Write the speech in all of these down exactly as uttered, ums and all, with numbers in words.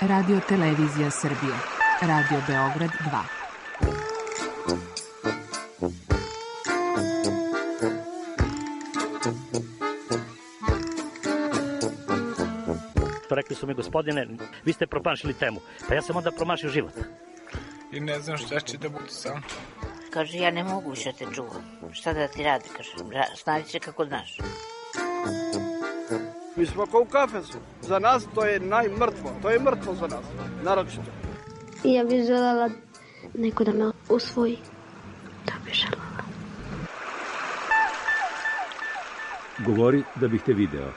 Radio Televizija Srbije, Radio Beograd dva. Rekli su mi, gospodine, vi ste promašili temu. Pa ja sam onda promašio život. I ne znam šta će da bude sam. Kaže, ja ne mogu više te čuvam. Šta da ti radi, kaže, snađi se kako znaš. Mi smo kao u kafesu. Za nas to je najmrtvo. To je mrtvo za nas, naročito. Ja bih želela neko da me usvoji. To bih želela. Govori da bih te video.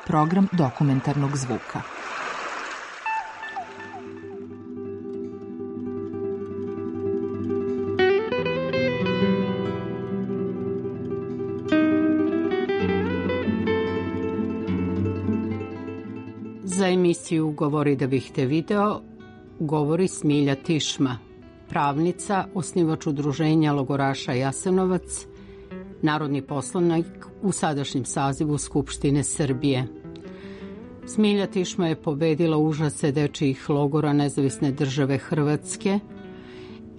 Program dokumentarnog zvuka. Za emisiju Govori da bih te video govori Smilja Tišma, pravnica, osnivač udruženja logoraša Jasenovac, narodni poslanik u sadašnjem sazivu Skupštine Srbije. Smilja Tišma je pobedila užase dečijih logora Nezavisne države Hrvatske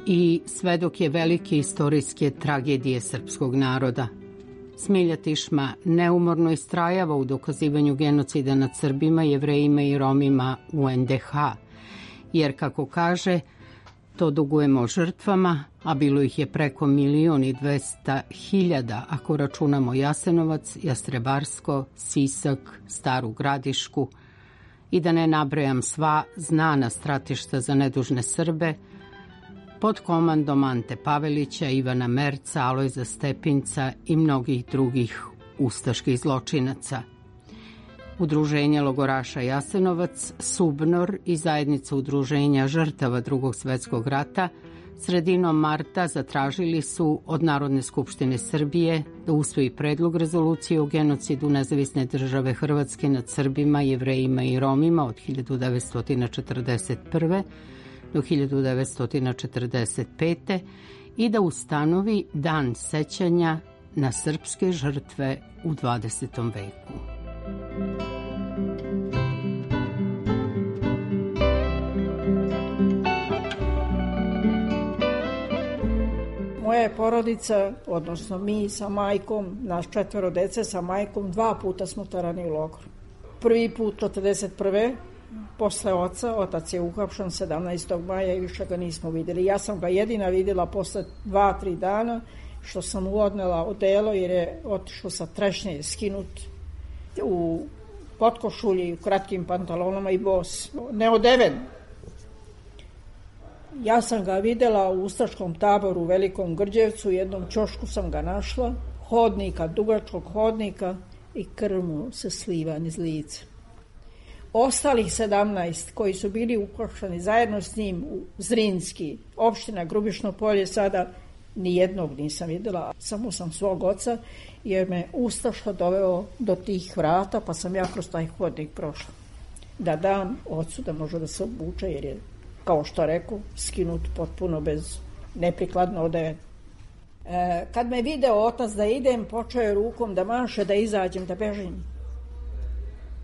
i svedok je velike istorijske tragedije srpskog naroda. Smilja Tišma neumorno istrajava u dokazivanju genocida nad Srbima, Jevrejima i Romima u en de ha, jer, kako kaže, to dugujemo žrtvama, a bilo ih je preko milion i dvesta hiljada ako računamo Jasenovac, Jastrebarsko, Sisak, Staru Gradišku i da ne nabrajam sva znana stratišta za nedužne Srbe pod komandom Ante Pavelića, Ivana Merca, Alojza Stepinca i mnogih drugih ustaških zločinaca. Udruženje logoraša Jasenovac, Subnor i zajednica udruženja žrtava Drugog svetskog rata sredinom marta zatražili su od Narodne skupštine Srbije da usvoji predlog rezolucije o genocidu Nezavisne države Hrvatske nad Srbima, Jevrejima i Romima od hiljadu devetsto četrdeset prve. do hiljadu devetsto četrdeset pete. i da ustanovi dan sećanja na srpske žrtve u dvadesetom veku. Moja je porodica, odnosno mi sa majkom, naš četvero dece sa majkom, dva puta smo terani u logor. Prvi put četrdeset prve posle oca, otac je uhapšen sedamnaestog maja i više ga nismo vidjeli. Ja sam ga jedina vidjela posle dva, tri dana, što sam mu odnela odelo jer je otišao sa trešnje skinut u potkošulji, u kratkim pantalonama i bos, neodeven. Ja sam ga vidjela u ustaškom taboru u Velikom Grđevcu, u jednom ćošku sam ga našla, hodnika, dugačkog hodnika, i krv mu se sliva niz lice. Ostalih sedamnaest koji su bili uhapšeni zajedno s njim u Zrinski, opština Grubišno Polje, sada nijednog nisam vidjela, samo sam svog oca, jer me ustaša doveo do tih vrata, pa sam ja kroz taj hodnik prošla. Da dam ocu da može da se obuče, jer je, kao što reku, skinut potpuno bez neprikladno odeven. E, kad me video otac da idem, počeo je rukom da maše, da izađem, da bežim.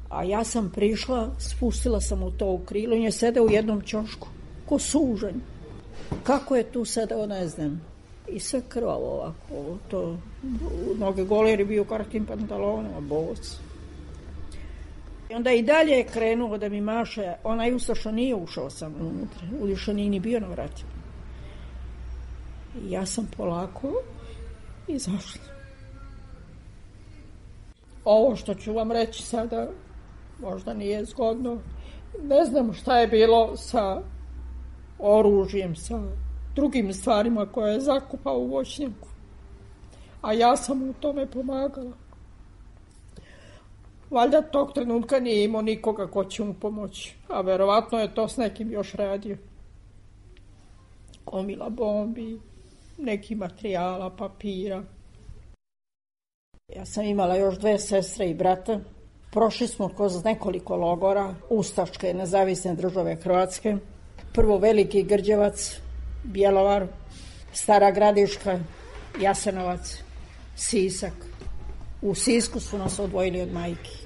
A ja sam prišla, spustila sam u to u krilo i je sedeo u jednom ćošku, ko sužanj. Kako je tu sedeo, ne znam. I sve krvavo ovako, to, noge gole jer je bio u kratkim pantalonama, bos. I onda i dalje je krenuo da mi maše, onaj ustaša nije ušao sam unutra, uliša nije ni bio na vratima. I ja sam polako izašla. Ovo što ću vam reći sada možda nije zgodno. Ne znam šta je bilo sa oružjem, sa drugim stvarima koje je zakupao u voćnjaku. A ja sam u tome pomagala. Valjda tog trenutka nije imao nikoga ko će mu pomoći. A verovatno je to s nekim još radio. Gomila bombi, neki materijala, papira. Ja sam imala još dve sestre i brata. Prošli smo kroz nekoliko logora, ustaške Nezavisne države Hrvatske. Prvo Veliki Grđevac, Bjelovar, Stara Gradiška, Jasenovac, Sisak. U Sisku su nas odvojili od majki.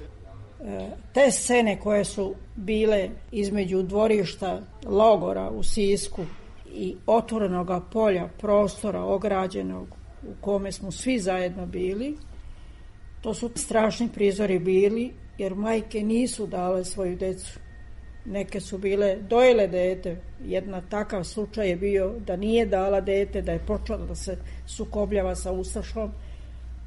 Te scene koje su bile između dvorišta logora u Sisku i otvorenog polja, prostora ograđenog u kome smo svi zajedno bili, to su strašni prizori bili, jer majke nisu dale svoju decu. Neke su bile dojele dete. Jedna takav slučaj je bio da nije dala dete, da je počela da se sukobljava sa ustašom,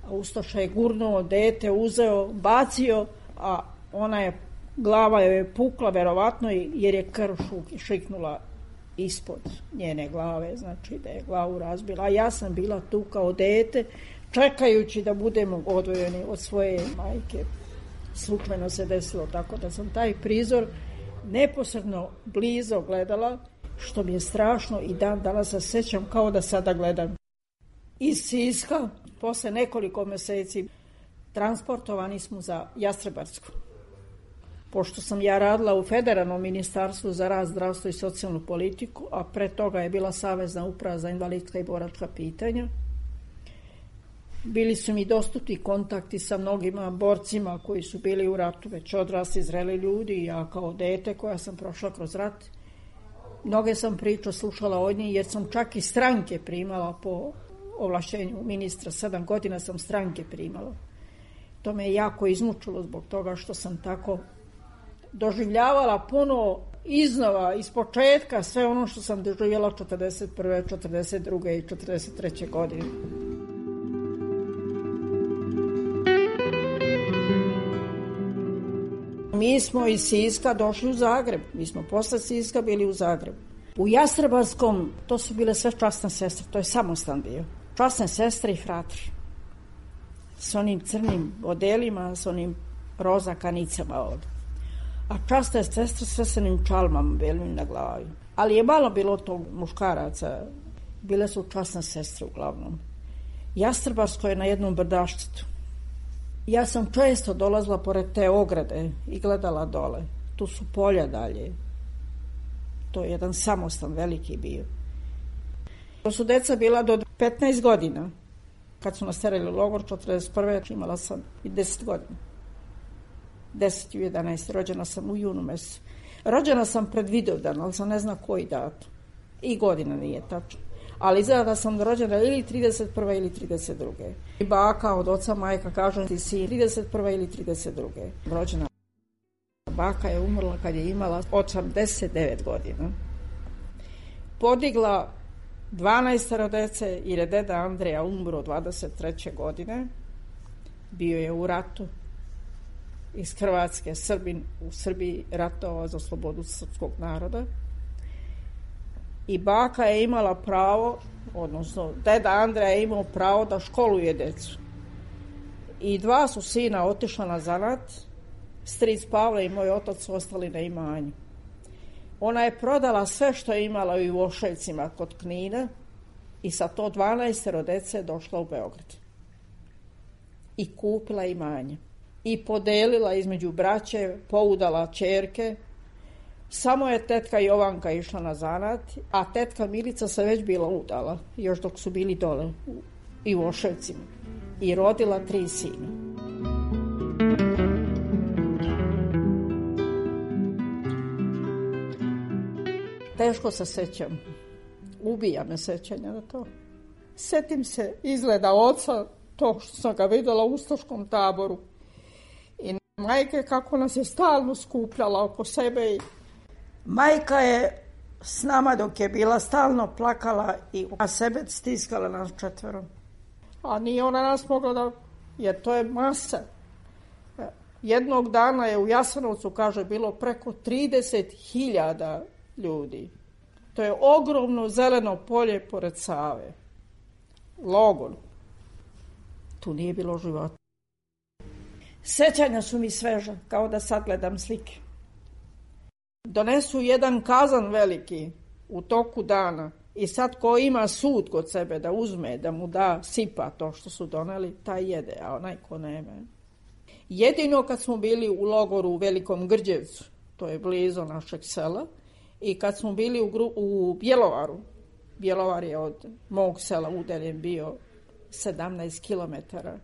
a ustaša je gurnuo dete, uzeo, bacio, a ona je, glava joj je pukla verovatno jer je krv šiknula ispod njene glave, znači da je glavu razbila. A ja sam bila tu kao dete, čekajući da budemo odvojeni od svoje majke. Slučajno se desilo tako da sam taj prizor neposredno blizo gledala, što mi je strašno i dan danas se sećam kao da sada gledam. Iz Siska, posle nekoliko meseci, transportovani smo za Jastrebarsku. Pošto sam ja radila u Federalnom ministarstvu za rad, zdravstvo i socijalnu politiku, a pre toga je bila Savezna uprava za invalidska i boračka pitanja, bili su mi dostupni kontakti sa mnogima borcima koji su bili u ratu, već odrasli, zreli ljudi, i ja kao dete koja sam prošla kroz rat. Mnoge sam priča slušala od njih, jer sam čak i stranke primala po ovlašćenju ministra. Sedam godina sam stranke primala. To me je jako izmučilo zbog toga što sam tako doživljavala puno iznova, iz početka, sve ono što sam doživjela četrdeset prve, četrdeset druge i četrdeset treće godine. Mi smo iz Siska došli u Zagreb. Mi smo posle Siska bili u Zagrebu. U Jastrebarskom, to su bile sve časne sestre, to je samostan bio. Časne sestre i fratri. S onim crnim odelima, s onim roza kanicama ovdje. A časne sestre sve s onim čalmama belim na glavi. Ali je malo bilo tog muškaraca. Bile su časne sestre uglavnom. Jastrebarsko je na jednom brdaščitu. Ja sam često dolazila pored te ograde i gledala dole. Tu su polja dalje. To je jedan samostan veliki bio. To su deca bila do petnaest godina. Kad su nas terali u logor, četrdeset prve imala sam i deset godina. deset i jedanaest. Rođena sam u junu mesecu. Rođena sam pred Vidovdan, ali sam ne zna koji datum. I godina nije tačno. Ali izgleda da sam rođena ili trideset prve ili trideset druge. I baka od oca majka kaže ti si trideset prve ili trideset druge. Rođena baka je umrla kad je imala osamdeset devet godina. Podigla dvanaestoro dece jer je deda Andreja umro dvadeset treće godine. Bio je u ratu iz Hrvatske, Srbin u Srbiji ratovao za slobodu srpskog naroda. I baka je imala pravo, odnosno deda Andreja je imao pravo da školuje decu. I dva su sina otišla na zanat, stric Pavle i moj otac su ostali na imanju. Ona je prodala sve što je imala u Voševcima kod Knina i sa to dvanaestoro dece došla u Beograd. I kupila imanje. I podelila između braće, poudala ćerke. Samo je tetka Jovanka išla na zanat, a tetka Milica se već bila udala, još dok su bili dole u, i u Voševcima. I rodila tri sina. Teško se sećam. Ubija me sećanja na to. Setim se izgleda oca, to što sam ga vidjela u ustaškom taboru. I majke kako nas je stalno skupljala oko sebe. Majka je s nama dok je bila stalno plakala i a sebe stiskala nas četvero. A nije ona nas mogla da, jer to je masa. Jednog dana je u Jasenovcu, kaže, bilo preko trideset hiljada ljudi. To je ogromno zeleno polje pored Save. Logor. Tu nije bilo života. Sećanja su mi sveža, kao da sad gledam slike. Donesu jedan kazan veliki u toku dana i sad ko ima sud kod sebe da uzme, da mu da sipa to što su doneli, taj jede, a onaj ko nema. Jedino kad smo bili u logoru u Velikom Grđevcu, to je blizu našeg sela, i kad smo bili u, gru, u Bjelovaru, Bjelovar je od mog sela udaljen bio sedamnaest kilometara,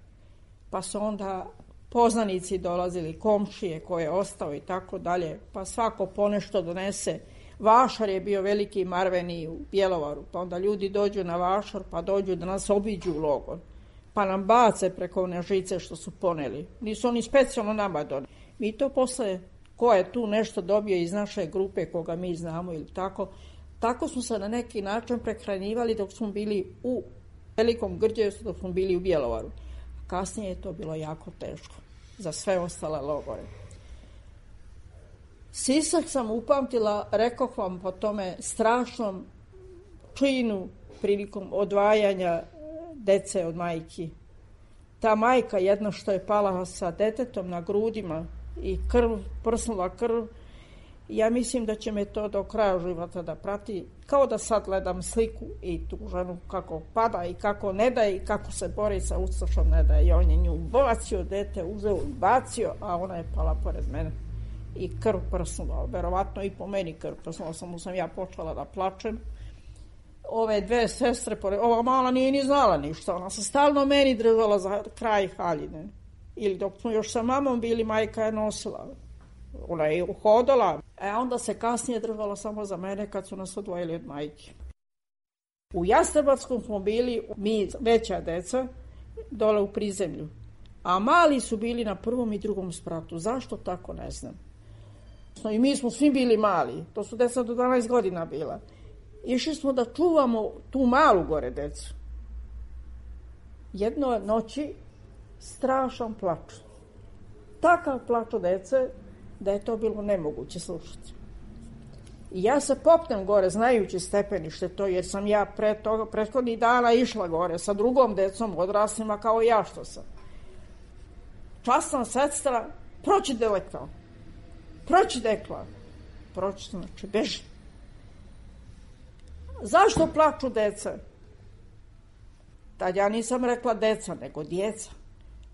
pa su onda poznanici dolazili, komšije koje je ostao i tako dalje, pa svako ponešto donese. Vašar je bio veliki marveni u Bjelovaru, pa onda ljudi dođu na Vašar, pa dođu da nas obiđu u logor, pa nam bace preko one žice što su poneli. Nisu oni specijalno nama doneli. Mi to posle, ko je tu nešto dobio iz naše grupe, koga mi znamo ili tako, tako smo se na neki način prehranjivali dok smo bili u Velikom Grđevcu, dok smo bili u Bjelovaru. Kasnije je to bilo jako teško za sve ostale logore. Sisak sam upamtila, rekoh vam, po tome strašnom činu prilikom odvajanja dece od majki. Ta majka jedna što je pala sa detetom na grudima i krv, prsnula krv, ja mislim da će me to do kraja života da prati, kao da sad gledam sliku i tu ženu kako pada i kako ne daje i kako se bori sa ustašom ne daje. I on je nju bacio, dete uzeo i bacio, a ona je pala pored mene. I krv prsnula, verovatno i po meni krv prsnula, samo sam ja počela da plačem. Ove dve sestre, ova mala nije ni znala ništa, ona se stalno meni držala za kraj haljine. Ili dok smo još sa mamom bili, majka je nosila. Ona je uhodala, a onda se kasnije držala samo za mene kad su nas odvojili od majke. U Jastrebarskom smo bili, mi veća deca, dole u prizemlju. A mali su bili na prvom i drugom spratu. Zašto tako, ne znam. I mi smo svi bili mali, to su deca do dvanaest godina bila. Išli smo da čuvamo tu malu gore decu. Jedno noći strašan plač. Takav plač od dece da je to bilo nemoguće slušati. I ja se popnem gore, znajući stepenište to, jer sam ja pre toga, prethodnih dana išla gore sa drugom decom, odraslima kao ja što sam. Časna sestra, proći delekla. Proći dekla. Proći, znači, beži. Zašto plaču deca? Tad ja nisam rekla deca, nego djeca.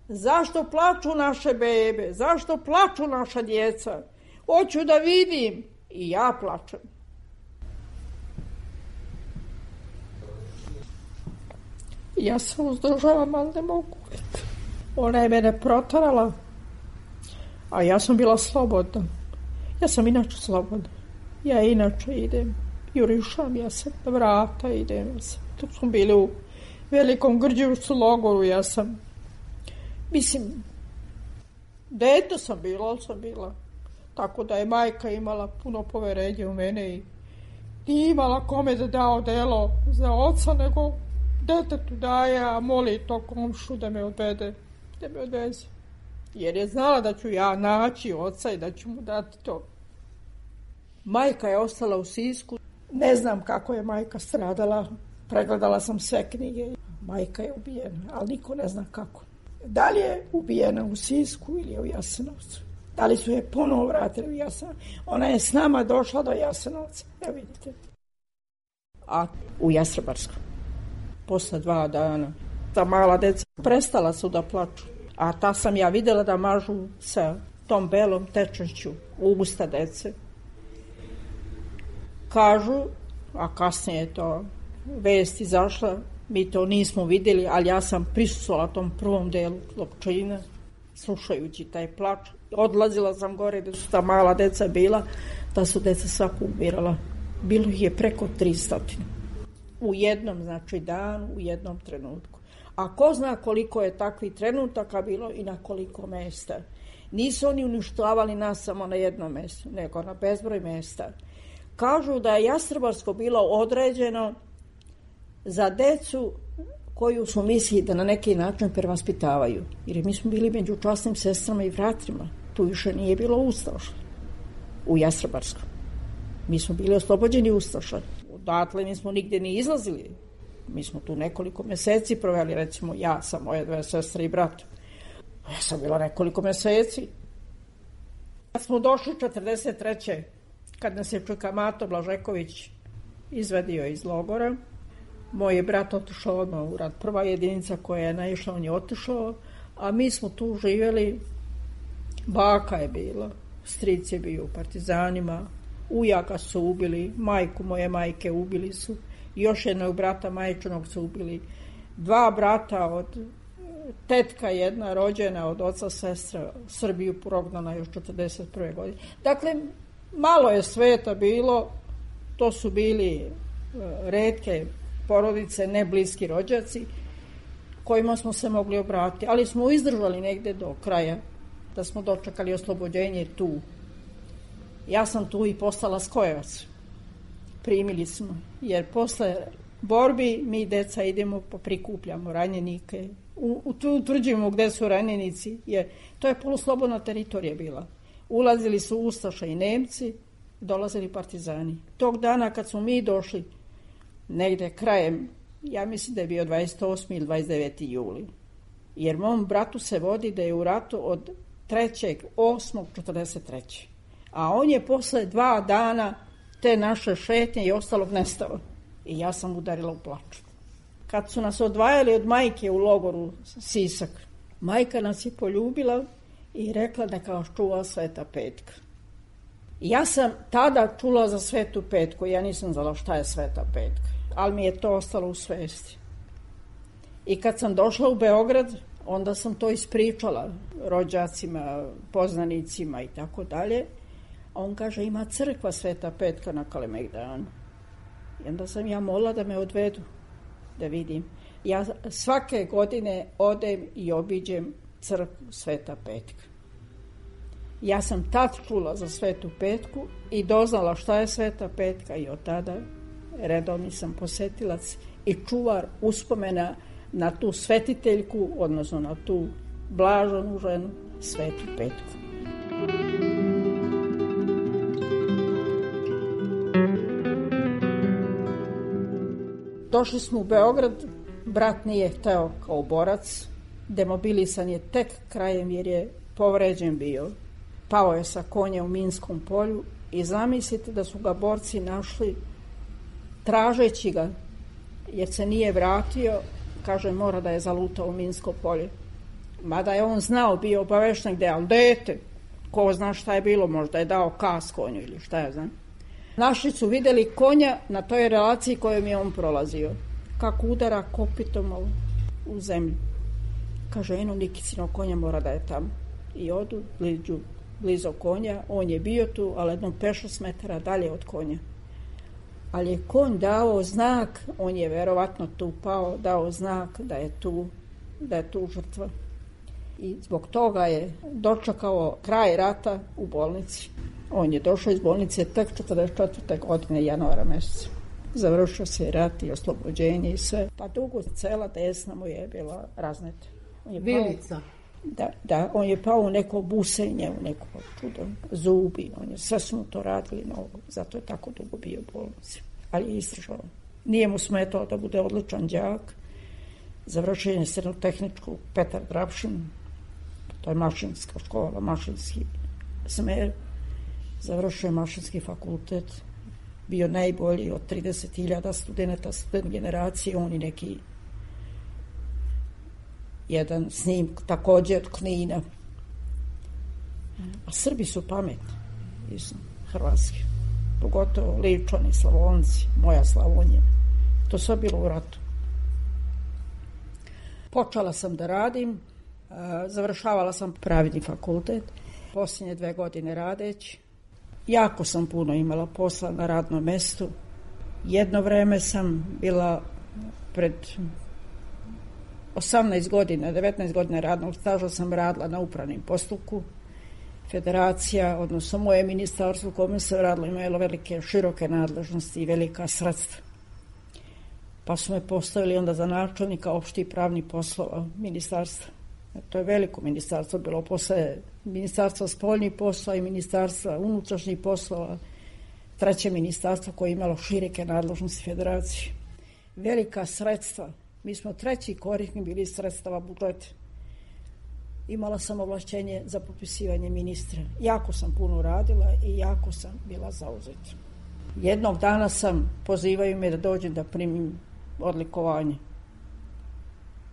Zašto plaču naše bebe? Zašto plaču naša djeca? Hoću da vidim. I ja plačem. Ja se uzdržavam, ali ne mogu. Ona je mene protarala, a ja sam bila slobodna. Ja sam inače slobodna. Ja inače idem, jurišam, ja sam na vrata idem. Ja sam, tu smo bili u Velikom Grđevcu logoru, ja sam, mislim, dete sam bila, ali sam bila. Tako da je majka imala puno poverenje u mene i nije imala kome da da odelo za oca, nego detetu daje, a moli to komšu da me odvede, da me odveze. Jer je znala da ću ja naći oca i da ću mu dati to. Majka je ostala u Sisku. Ne znam kako je majka stradala. Pregledala sam sve knjige. Majka je ubijena, ali niko ne zna kako. Da li je ubijena u Sisku ili je u Jasenovcu? Da li su je ponovo vratili u Jasenovac? Ona je s nama došla do Jasenovca. Evo vidite. A u Jastrebarskom. Posle dva dana. Ta mala deca prestala su da plaču. A ta sam ja videla da mažu sa tom belom tečnošću u usta dece. Kažu, a kasnije je to vest izašla, mi to nismo vidjeli, ali ja sam prisustvovala tom prvom delu Lopčina, slušajući taj plač. Odlazila sam gore gde su ta mala deca bila, da su deca sva umirala. Bilo ih je preko tristo. U jednom, znači, danu, u jednom trenutku. A ko zna koliko je takvih trenutaka bilo i na koliko mesta. Nisu oni uništavali nas samo na jednom mjestu, nego na bezbroj mesta. Kažu da je Jastrebarsko bilo određeno za decu koju su mislili da na neki način prevaspitavaju. Jer mi smo bili među časnim sestrama i vratrima. Tu više nije bilo ustaša u Jastrebarskom. Mi smo bili oslobođeni ustaša. Odatle nismo nigde ni izlazili. Mi smo tu nekoliko meseci proveli, recimo ja sa moje dve sestre i brat. Ja sam bila nekoliko meseci. Kad smo došli četrdeset treće kad nas je Čukamato Blažeković izvedio iz logora, moj je brat otišao odmah u rat. Prva jedinica koja je naišla, on je otišao, a mi smo tu živjeli. Baka je bila, stric je bio u partizanima, ujaka su ubili, majku moje majke ubili su, još jednog brata majčinog su ubili, dva brata od tetka jedna rođena od oca sestra Srbiju prognana još četrdeset prve godine. Dakle, malo je sveta bilo, to su bili retke porodice, ne bliski rođaci, kojima smo se mogli obratiti, ali smo izdržali negde do kraja, da smo dočekali oslobođenje tu. Ja sam tu i postala skojevac. Primili smo, jer posle borbi mi, deca, idemo pa prikupljamo ranjenike, utvrđujemo gde su ranjenici, jer to je poluslobodna teritorija bila. Ulazili su Ustaša i Nemci, dolazili partizani. Tog dana kad smo mi došli, negde krajem, ja mislim da je bio dvadeset osmi ili dvadeset deveti juli, jer mom bratu se vodi da je u ratu od trećeg osmog četrdeset treće A on je posle dva dana te naše šetnje i ostalog nestao. I ja sam udarila u plaču. Kad su nas odvajali od majke u logoru Sisak, majka nas je poljubila i rekla da kao čuva Sveta Petka. Ja sam tada čula za Svetu Petku, ja nisam znala šta je Sveta Petka, ali mi je to ostalo u svesti. I kad sam došla u Beograd, onda sam to ispričala rođacima, poznanicima i tako dalje. On kaže, ima crkva Sveta Petka na Kalemegdanu. I onda sam ja molila da me odvedu, da vidim. Ja svake godine odem i obiđem crkvu Sveta Petka. Ja sam tad čula za Svetu Petku i doznala šta je Sveta Petka i od tada redovni sam posetilac i čuvar uspomena na tu svetiteljku, odnosno na tu blaženu ženu Svetu Petku. Došli smo u Beograd, brat nije hteo kao borac, demobilisan je tek krajem jer je povređen bio. Pao je sa konja u Minskom polju i zamislite da su ga borci našli tražeći ga, jer se nije vratio, kaže mora da je zalutao u Minsko polje. Mada je on znao, bio obavešten gde, ali dete, ko zna šta je bilo, možda je dao kas konju ili šta je znam. Našli su videli konja na toj relaciji kojom je on prolazio, kako udara kopitom u zemlju. Kaže, eno Nikicino konja mora da je tamo. I odu blizu, blizu konja, on je bio tu, ali jednom pešest metara dalje od konja. Ali je konj dao znak, on je verovatno tu pao, dao znak da je tu, da je tu žrtva. I zbog toga je dočekao kraj rata u bolnici. On je došao iz bolnice tek četrdeset četvrte godine januara meseca. Završio se rat i oslobođenje i sve. Pa dugo cela desna mu je bila razneta. Vilica. Da, da, on je pao u neko busenje, u neko čudo, zubi, on je, sve su mu to radili mnogo, zato je tako dugo bio u bolnici. Ali je izdržao. Nije mu smetao da bude odličan đak, završio je srednju tehničku Petar Drapšin, to je mašinska škola, mašinski smer, završio je mašinski fakultet, bio najbolji od trideset hiljada studenta, student generacije, on i neki jedan s njim takođe od Knina. A Srbi su pametni iz Hrvatske, pogotovo Ličani, Slavonci, moja Slavonija. To sve bilo u ratu. Počela sam da radim, završavala sam pravni fakultet, posljednje dve godine radeći. Jako sam puno imala posla na radnom mestu. Jedno vreme sam bila pred osamnaest godina, devetnaest godina radnog staža sam radila na upravnim postupku. Federacija, odnosno moje ministarstvo u kome sam radila, imalo velike, široke nadležnosti i velika sredstva. Pa su me postavili onda za načelnika opštih pravnih poslova ministarstva. To je veliko ministarstvo bilo posle ministarstva spoljnih poslova i ministarstva unutrašnjih poslova, treće ministarstvo koje je imalo široke nadležnosti federacije. Velika sredstva. Mi smo treći korisnik bili sredstava budžeta. Imala sam ovlašćenje za potpisivanje ministra. Jako sam puno radila i jako sam bila zauzeta. Jednog dana sam, pozivaju me da dođem da primim odlikovanje.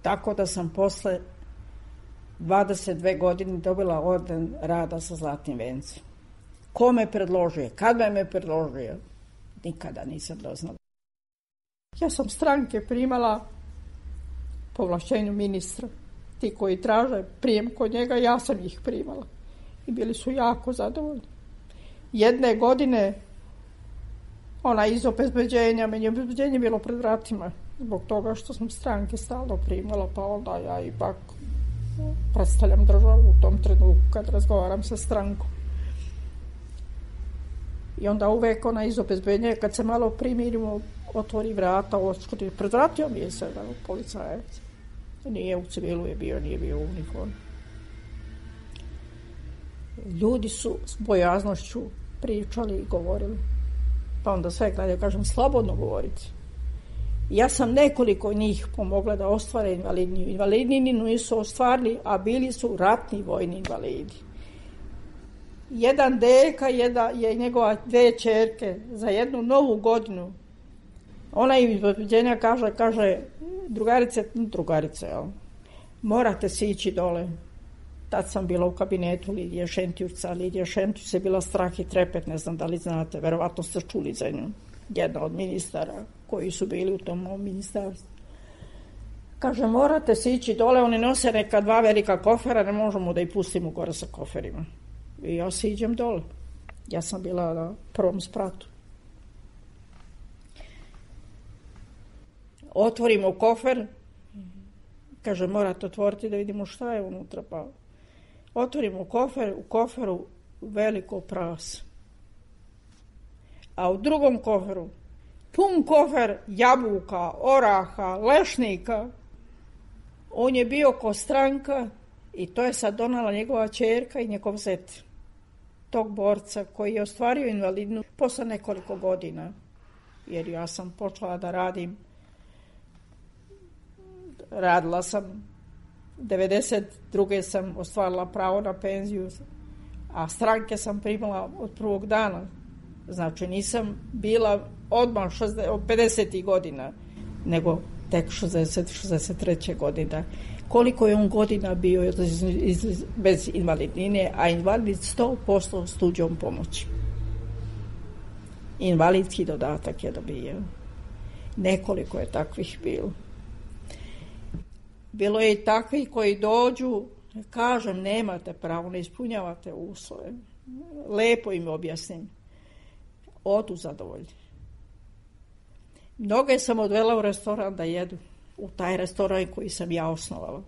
Tako da sam posle dvadeset dve godine dobila orden rada sa zlatnim vencem. Ko me predložio? Kad me me predložio? Nikada nisam doznala. Ja sam stranke primala po ovlašćenju ministra. ti koji traže prijem kod njega, ja sam ih primala. I bili su jako zadovoljni. Jedne godine ona iz obezbeđenja, meni je obezbeđenje bilo pred vratima, zbog toga što sam stranke stalno primala, pa onda ja ipak predstavljam državu u tom trenutku kad razgovaram sa strankom. I onda uvek ona iz obezbeđenja, kad se malo primirimo, otvori vrata, očkodi, predvratio mi je se policajac. Nije u civilu je bio, nije bio u uniformu. Ljudi su s bojaznošću pričali i govorili. Pa onda sve gledaju, kažem, slobodno govoriti. Ja sam nekoliko njih pomogla da ostvare invalidniju. Invalidnini nisu ostvarili, a bili su ratni vojni invalidi. Jedan deka jedna, je njegova dve ćerke za jednu novu godinu. Ona im iz obezbeđenja kaže, kaže, drugarice, drugarice, jel? Morate si ići dole. Tad sam bila u kabinetu Lidije Šentjurca. Lidija Šentjurc je bila strah i trepet, ne znam da li znate, verovatno ste čuli za nju. Jedna od ministara koji su bili u tom mom ministarstvu. Kaže, morate si ići dole, oni nose neka dva velika kofera, ne možemo da ih pustimo gore sa koferima. I ja se idem dole. Ja sam bila na prvom spratu. Otvorimo kofer, kaže, morate otvoriti da vidimo šta je unutra, pa otvorimo kofer, u koferu veliko prase. A u drugom koferu pun kofer jabuka, oraha, lešnika. On je bio ko stranka i to je sad donala njegova ćerka i njegov zet. Tog borca koji je ostvario invalidnu posle nekoliko godina. Jer ja sam počela da radim. Radila sam, devedeset druge sam ostvarila pravo na penziju, a stranke sam primala od prvog dana. Znači nisam bila odmah od pedesetih godina, nego tek šezdeset šezdeset treće godine. Koliko je on godina bio iz, iz, bez invalidnine, a invalid sto posto s tuđom pomoći. Invalidski dodatak je dobio. Nekoliko je takvih bilo. Bilo je i takvih koji dođu, kažem, nemate pravo, ne ispunjavate uslove. Lepo im objasnim. Odu zadovoljni. Mnoge sam odvela u restoran da jedu. U taj restoran koji sam ja osnovala.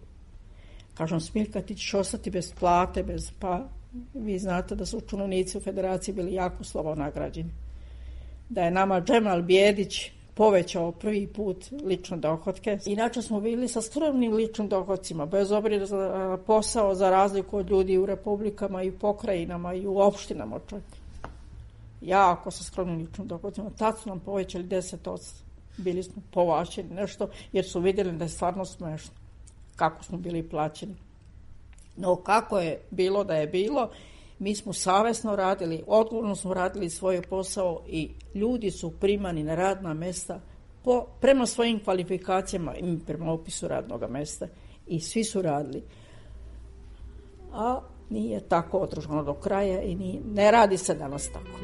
Kažem, Smiljka, ti ćeš ostati bez plate, bez pa... Vi znate da su činovnici u federaciji bili jako slabo nagrađeni. Da je nama Džemal Bijedić povećao prvi put lične dohotke. Inače smo bili sa skromnim ličnim dohodcima, bez obzira za posao, za razliku od ljudi u republikama i u pokrajinama i u opštinama čak. Jako sa skromnim ličnim dohodcima. Tad su nam povećali deset posto. Bili smo povaćeni nešto, jer su vidjeli da je stvarno smešno kako smo bili plaćeni. No kako je bilo da je bilo, mi smo savesno radili, odgovorno smo radili svoj posao i ljudi su primani na radna mesta po, prema svojim kvalifikacijama i prema opisu radnog mesta. I svi su radili. A nije tako održano do kraja i nije, ne radi se danas tako.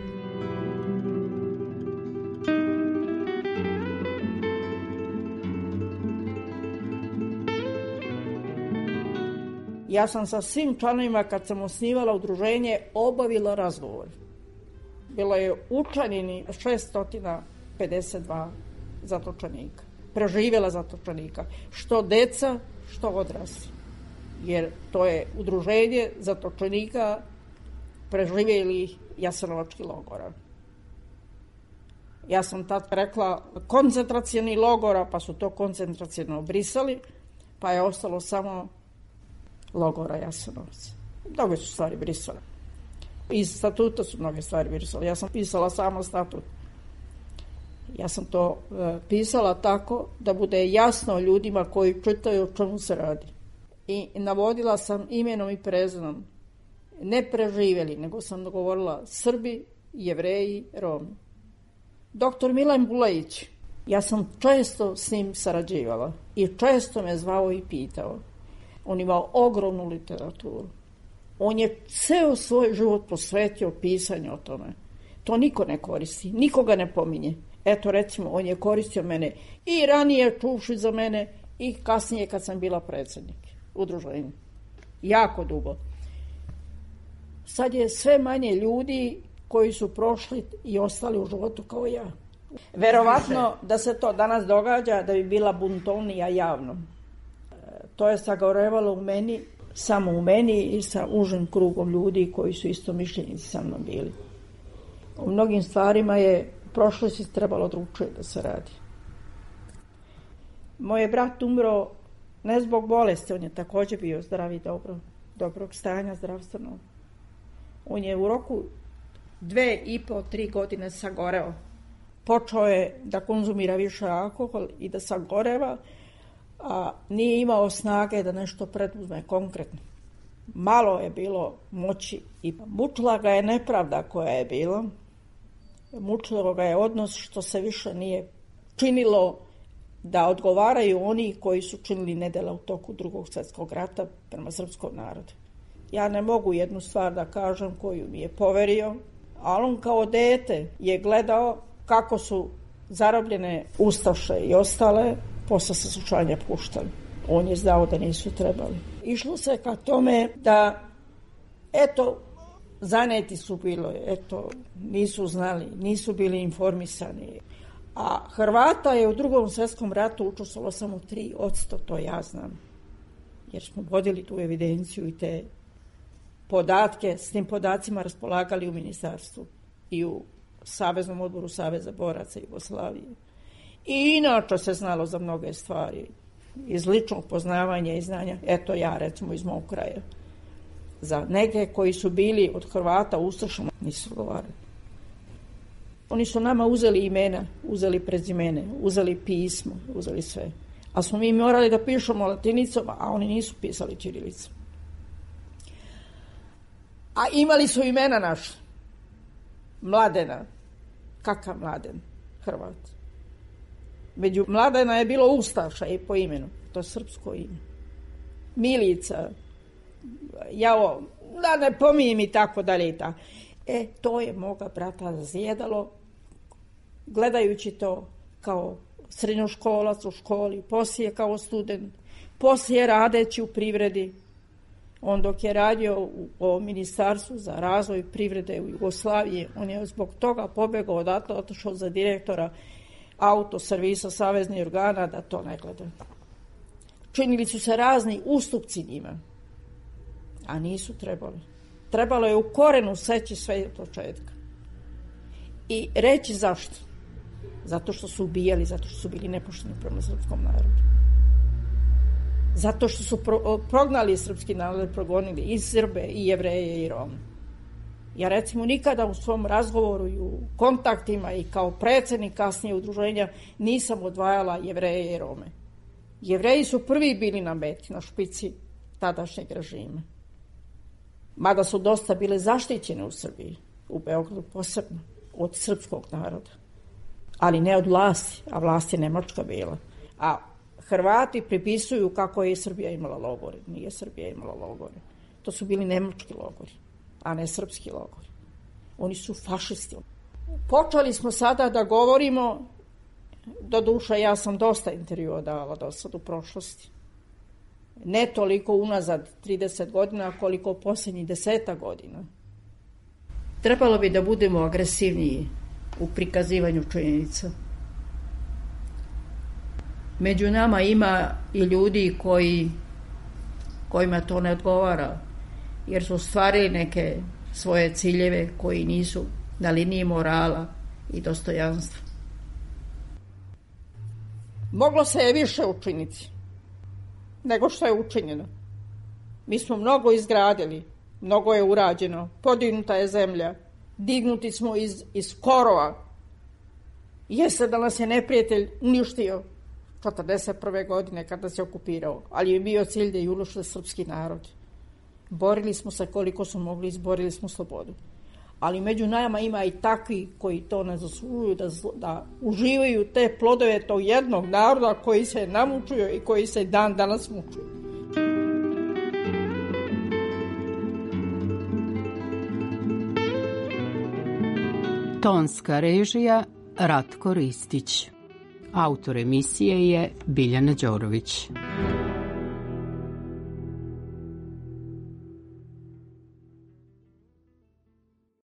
Ja sam sa svim članovima, kad sam osnivala udruženje, obavila razgovor. Bilo je učlanjeni šesto pedeset dva zatočenika. Preživjela zatočenika. Što deca, što odrasli. Jer to je udruženje zatočenika preživjeli Jasenovački logora. Ja sam tad rekla koncentracioni logora, pa su to koncentraciono obrisali, pa je ostalo samo logora Jasenovac. Mnoge su stvari brisale. Iz statuta su mnoge stvari brisale. Ja sam pisala samo statut. Ja sam to e, pisala tako da bude jasno ljudima koji čitaju o čemu se radi. I navodila sam imenom i prezimenom. Ne preživjeli, nego sam govorila Srbi, Jevreji, Romi. Doktor Milan Bulajić, ja sam često s njim sarađivala i često me zvao i pitao. On imao ogromnu literaturu. On je ceo svoj život posvetio pisanju o tome. To niko ne koristi, nikoga ne pominje. Eto, recimo, on je koristio mene i ranije čuvši za mene i kasnije kad sam bila predsjednik. udruženje. Jako dugo. Sad je sve manje ljudi koji su prošli i ostali u životu kao ja. Verovatno da se to danas događa da bi bila buntovnija javno. To je sagorevalo u meni, samo u meni i sa užim krugom ljudi koji su isto mišljenici sa mnom bili. U mnogim stvarima je u prošlosti trebalo drugčije da se radi. Moj je brat umro ne zbog bolesti, on je također bio zdrav i dobro, dobrog stanja zdravstvenog. On je u roku dve i po, tri godine sagoreo. Počeo je da konzumira više alkohol i da sagoreva, a nije imao snage da nešto preduzme konkretno. Malo je bilo moći i mučila ga je nepravda koja je bila. Mučilo ga je odnos što se više nije činilo da odgovaraju oni koji su činili nedjela u toku Drugog svjetskog rata prema srpskom narodu. Ja ne mogu jednu stvar da kažem koju mi je poverio, ali on kao dete je gledao kako su zarobljene ustaše i ostale posle saslušanja puštali. On je znao da nisu trebali. Išlo se ka tome da, eto, zaneti su bilo, eto, nisu znali, nisu bili informisani. A Hrvata je u Drugom svjetskom ratu učestvovalo samo tri posto, to ja znam. Jer smo vodili tu evidenciju i te podatke, s tim podacima raspolagali u ministarstvu i u Saveznom odboru Saveza boraca Jugoslavije. I inače se znalo za mnoge stvari. Iz ličnog poznavanja i znanja, eto ja recimo iz mog kraja. Za neke koji su bili od Hrvata ustašama nisu govorili. Oni su nama uzeli imena, uzeli prezimene, uzeli pismo, uzeli sve. A smo mi morali da pišemo latinicom, a oni nisu pisali ćirilicom. A imali su imena naše. Mladena. Kakav Mladen? Hrvat. Među Mladena je bilo ustaša i po imenu. To je srpsko ime. Milica. Jao, da ne pominjem i tako dalje i tako. E, to je moga brata zjedalo, gledajući to kao srednjoškolac u školi, poslije kao student, poslije radeći u privredi. On dok je radio u, u Ministarstvu za razvoj privrede u Jugoslaviji, on je zbog toga pobegao odatle, otišao za direktora autoservisa saveznih organa da to ne gleda. Činili su se razni ustupci njima, a nisu trebali. Trebalo je u korenu seći sve od početka. I reći zašto. Zato što su ubijali, zato što su bili nepošteni prema srpskom narodu. Zato što su pro, prognali srpski narod, progonili i Srbe, i Jevreje, i Rome. Ja recimo nikada u svom razgovoru i u kontaktima i kao predsjednik kasnije udruženja nisam odvajala Jevreje i Rome. Jevreji su prvi bili na meti, na špici tadašnjeg režima. Mada su dosta bile zaštićene u Srbiji, u Beogradu posebno, od srpskog naroda. Ali ne od vlasti, a vlast je Nemačka bila. A Hrvati pripisuju kako je Srbija imala logore. Nije Srbija imala logore. To su bili nemački logori, a ne srpski logori. Oni su fašisti. Počeli smo sada da govorimo, do duša ja sam dosta intervjua davala do sad u prošlosti. Ne toliko unazad trideset godina, koliko posljednjih deseta godina. Trebalo bi da budemo agresivniji u prikazivanju činjenica. Među nama ima i ljudi koji, kojima to ne odgovara, jer su ostvarili neke svoje ciljeve koji nisu na liniji morala i dostojanstva. Moglo se je više učiniti nego što je učinjeno. Mi smo mnogo izgradili, mnogo je urađeno, podignuta je zemlja, dignuti smo iz, iz korova. Jeste da nas je neprijatelj uništio četrdeset prve godine kada se okupirao, ali je bio cilj da je uništio srpski narod. Borili smo se koliko smo mogli, izborili smo slobodu. Ali među nama ima i takvi koji to ne zaslužuju da, da uživaju te plodove tog jednog naroda koji se namučuju i koji se dan danas mučuju. Tonska režija Ratko Ristić. Autor emisije je Biljana Đorović.